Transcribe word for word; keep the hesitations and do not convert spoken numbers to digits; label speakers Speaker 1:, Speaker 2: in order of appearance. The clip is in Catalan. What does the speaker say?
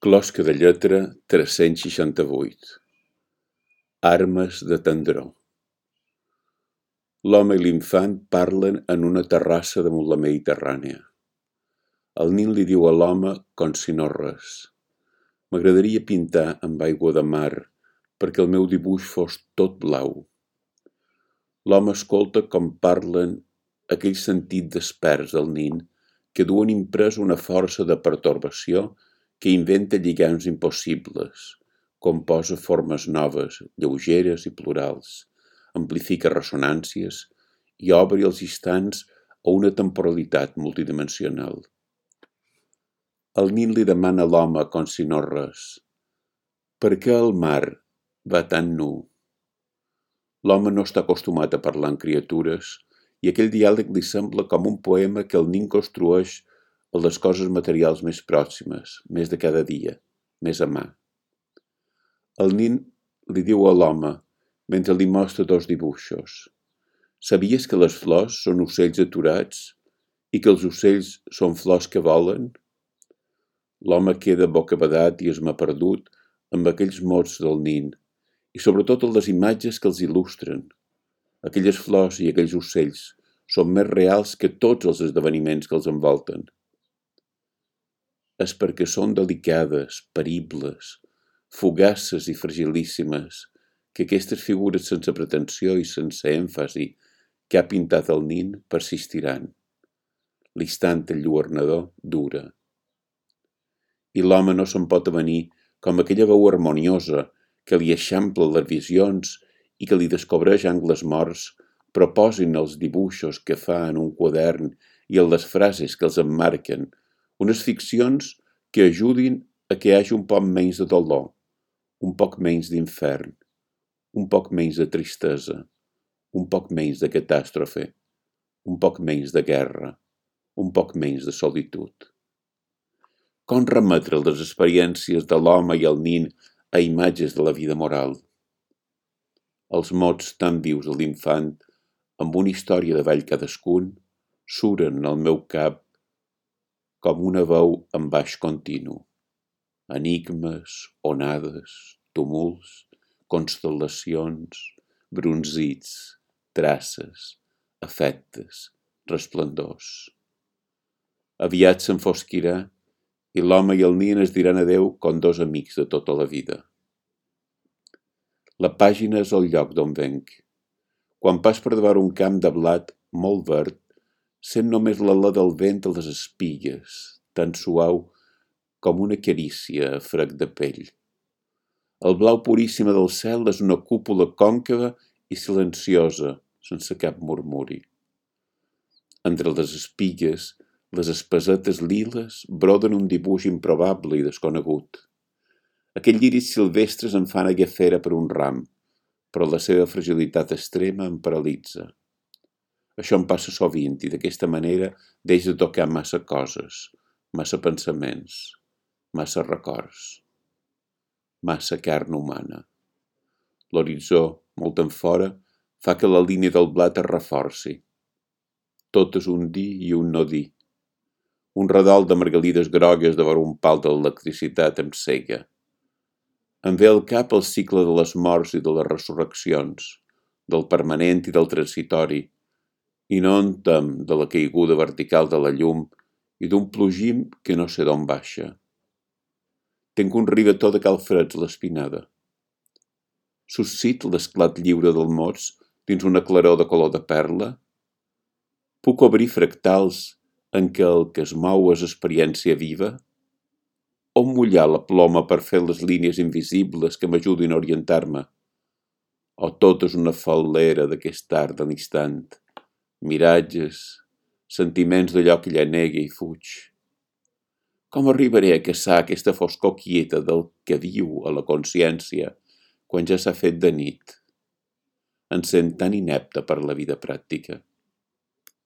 Speaker 1: Closca de lletra tres-cents seixanta-vuit. Armes de tendror. L'home i l'infant parlen en una terrassa damunt la Mediterrània. El nin li diu a l'home com si no res. M'agradaria pintar amb aigua de mar perquè el meu dibuix fos tot blau. L'home escolta com parlen aquell sentit desperts del nin que duen imprès una força de pertorbació que inventa lligams impossibles, composa formes noves, lleugeres i plurals, amplifica ressonàncies i obre els instants a una temporalitat multidimensional. El nin li demana a l'home com si no res: per què el mar va tan nu? L'home no està acostumat a parlar amb criatures i aquell diàleg li sembla com un poema que el nin construeix a les coses materials més pròximes, més de cada dia, més a mà. El nin li diu a l'home, mentre li mostra dos dibuixos: sabies que les flors són ocells aturats i que els ocells són flors que volen? L'home queda bocabadat i esmaperdut amb aquells mots del nin i sobretot en les imatges que els il·lustren. Aquelles flors i aquells ocells són més reals que tots els esdeveniments que els envolten. És perquè són delicades, peribles, fugaces i fragilíssimes que aquestes figures sense pretensió i sense èmfasi que ha pintat el nin persistiran. L'instant enlluernador dura. I l'home no se'n pot avenir com aquella veu harmoniosa que li eixampla les visions i que li descobreix angles morts, proposin els dibuixos que fa en un quadern i en les frases que els emmarquen, unes ficcions que ajudin a que hi hagi un poc menys de dolor, un poc menys d'infern, un poc menys de tristesa, un poc menys de catàstrofe, un poc menys de guerra, un poc menys de solitud. Com remetre les experiències de l'home i el nin a imatges de la vida moral? Els mots tan vius de l'infant, amb una història de vall cadascun, suren al meu cap com una veu en baix continu. Enigmes, onades, tumults, constel·lacions, brunzits, traces, efectes, resplendors. Aviat s'enfosquirà i l'home i el nin es diran adeu com dos amics de tota la vida. La pàgina és el lloc d'on venc. Quan pas per davant un camp de blat molt verd, sent només l'alè del vent a les espigues, tan suau com una carícia a frec de pell. El blau puríssim del cel és una cúpula còncava i silenciosa, sense cap murmuri. Entre les espigues, les espasetes liles broden un dibuix improbable i desconegut. Aquells lliris silvestres em fan agafera per un ram, però la seva fragilitat extrema em paralitza. Això em passa sovint i d'aquesta manera deix de tocar massa coses, massa pensaments, massa records, massa carn humana. L'horitzó, molt enfora, fa que la línia del blat es reforci. Tot és un dir i un no dir. Un redol de margalides grogues davant un pal d'electricitat em cega. Em ve al cap el cicle de les morts i de les resurreccions, del permanent i del transitori, i no en tem de la caiguda vertical de la llum i d'un plogim que no sé d'on baixa. Tenc un rivetó de calfreds a l'espinada. Suscit l'esclat lliure del mots dins una claror de color de perla? Puc obrir fractals en què el que es mou és experiència viva? On mullar la ploma per fer les línies invisibles que m'ajudin a orientar-me? O tot és una fal·lera d'aquest art de l'instant, miratges, sentiments d'allò que llanega i fuig? Com arribaré a caçar aquesta foscor quieta del que viu a la consciència quan ja s'ha fet de nit? Em sent tan inepte per la vida pràctica.